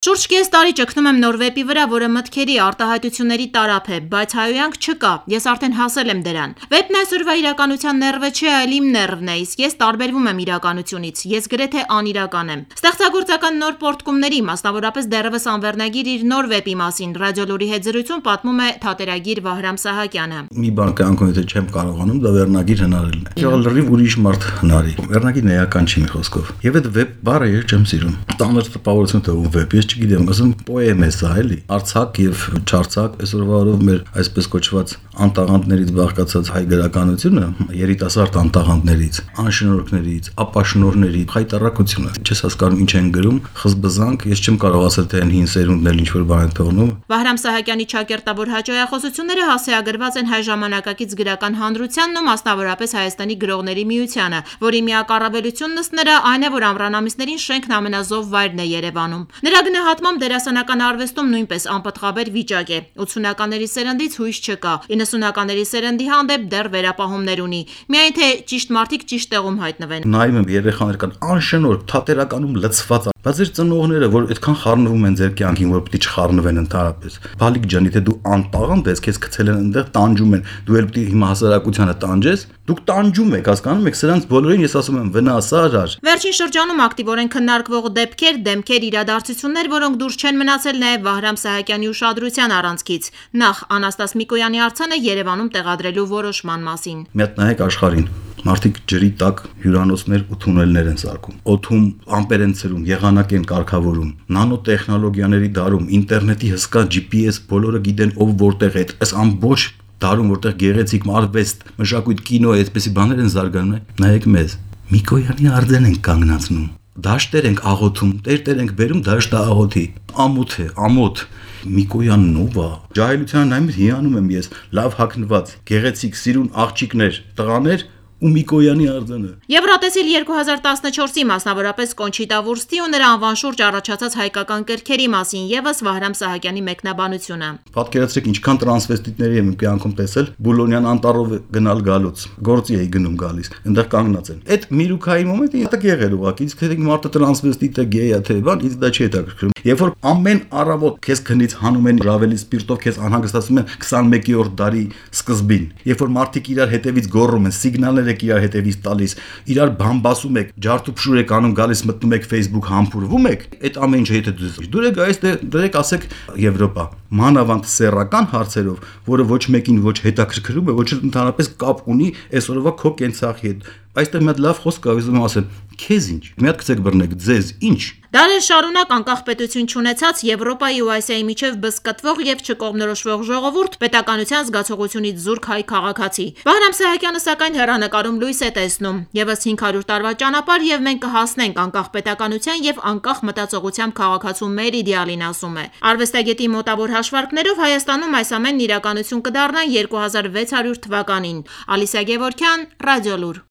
Շուրջ կես տարի ճգնում եմ նոր վեպի վրա, որը մտքերի, արտահայտությունների տարափ է, բայց հայոյանք չկա, ես արդեն հասել եմ դրան։ Վեպն այսօրվա իրականության ներվը չէ, այլ իմ ներվն է, իսկ ես տարբերվում եմ իրականությունից, ես գրեթե անիրական եմ։ Ստեղծագործական նոր պոռթկումների, մասնավորապես դեռևս անվերնագիր իր նոր վեպի մասին, Ռադիոլուրի հետ զրույցում պատմում է թատերագիր Վահրամ Սահակյանը։ Մի բան կյանքում եթե չեմ կարողանում, դա վերնագիր հնարելն է։ Եղել լրիվ ուրիշ մարդ հնարի։ Վերնագիրն էական չի մի խոսքով։ Եվ այդ վեպ բառը ես չեմ սիրում։ Տանր տպավորություն թվում վեպ, ես չգիտեմ, ասում պոեմ է սա էլի։ Արցակ եւ չարցակ այսօրվա օրով մեր այսպես կոչված անտաղանդներից բաղկացած հայ գրականությունը, երիտասարդ անտաղանդներից, անշնորհքներից, ապաշնորհներից, խայտառակությունը։ Չես հասկանում ինչ են գրում, խզբզանք, ես չեմ կարող ասել թե այն հին սերունդն էլ ինչ որ բան են թողնում։ Վահրամ Սահակյանի ճակերտավոր հաճոյախոսությունները հասցեագրված են հայ ժամանակակից գրական հանրությանն ու մասնավորապես Հայաստանի գրողների միությանը, որի միակ առավելությունն ըստ նրա այն է, որ ամռանամիսներին շենքն ամենազով վայրն է Երևանում։ Նրա գնահատմամբ դերասանական արվեստում նույնպես անպտղաբեր վիճակ է։ 80-ականների սերնդից հույս չկա, 90-ականների սերնդի հանդեպ դեռ վերապահումներ ունի, միայն թե ճիշտ մարդիկ ճիշտ տեղում հայտնվեն։ Նայում եմ երեխաներ կան անշնորհք, թատերականում լցված, բայց ձեր ծնողները, որ այդքան խառնվում են ձեր կյանքին, որ պիտի չխառնվեն ընդհանրապես։ Բալիկ ջան, եթե դու անտաղանդ ես, քեզ գցել են այնտեղ, տանջում են, դու էլ պիտի հիմա հասարակությանը տանջես, դուք տանջում եք, հասկանում եք, սրանց բոլորին ես ասում եմ վնասարար։ Վերջին շրջանում ակտիվորեն քննարկվող դեմքեր, իրադարձություններ, որոնք դուրս չեն մնացել նաև Վահրամ Սահակյանի ուշադրության առանցքից։ Նախ Անաստաս Միկոյանի արձանը Երևանում տեղադրելու որոշման մասին։ Մի հատ նայեք աշխարհին։ Մարդիկ ջրի տակ հյուրանոցներ ու թունելներ են սարքում։ Օդում ամպեր են ցրում, եղանակ են կարգավորում, նանոտեխնոլոգիաների դարում, ինտերնետի հսկա GPS բոլորը գիտեն ով որտեղ է։ Այս ամբողջ դարում որտեղ գեղեցիկ արվեստ, մշակույթ, կինո է, այդպեսի բաներ են զարգանում։ Նայեք մեզ։ Միկոյանի արձան են կանգնացնում։ Դաշտեր ենք աղոթում, տերտեր ենք բերում դաշտը աղոթի։ Ամոթ է, ամոթ։ Միկոյանն ով է։ Ջահելության նայում հիանում եմ ես, լավ հագնված, գեղեցիկ, սիրուն աղջիկներ, տղաներ ու Միկոյանի արձանը։ Եվրատեսիլ 2014-ի մասնավորապես Կոնչիտա Վուրստի ու նրա անվան շուրջ առաջացած հայկական կրքերի մասին ևս Վահրամ Սահակյանի մեկնաբանությունը։ Պատկերացրեք ինչքան տրանսվեստիտների եմ կյանքում տեսել, Բուլոնյան անտառով գնալ գալուց, գործի էի գնում գալիս, այնտեղ կանգնած են։ Այդ միրուքայի մոմենտը յետք եղել ուղղակի, իսկ թե մարդը տրանսվեստիտ է, գեյ է, թե բան, ինձ դա չի հետաքրքրում։ Երբ որ ամեն առավոտ քեզ քնից հանում են Ռավելի սպիրտով, քեզ անհանգստացնում են 21-րդ դարի սկզբին, երբ որ մարդիկ իրար հետևից գոռում են, սիգնալներ եք իրար հետևից տալիս, իրար բամբասում եք, ջարդուփշուր եք անում, գալիս մտնում եք Facebook, համբուրվում եք, այդ ամեն ինչը եթե դուր եք գայիս, դրեք ասեք Եվրոպա, մանավանդ սեռական հարցերով, որը ոչ մեկին ոչ հետաքրքրում է, ոչ ընդհանրապես կապ ունի այսօրվա քո կենցաղի հետ։ Այստեղ մի հատ լավ խոսք կա, ուզում եմ ասել, քեզ ինչ։ Մի հատ գցեք բռնեք, ձեզ ինչ։ Դարեր շարունակ անկախ պետություն չունեցած Եվրոպայի ու Ասիայի միջև բզկտվող եւ չկողմնորոշվող ժողովուրդ պետականության զգացողությունից զուրկ հայ քաղաքացի։ Վահրամ Սահակյանը սակայն հեռանկարում լույս է տեսնում։ Եվս 500 տարվա ճանապարհ եւ մենք կհասնենք անկախ պետականության եւ անկախ մտածողությամբ քաղաքացու մեր իդեալին, ասում է։ Արվեստագետի մոտավոր հաշվարկներով Հայաստանում այս ամենն իրականություն կդառնա 2600 թվականին։ Ալիսա Գևորգյան, Ռադիոլուր։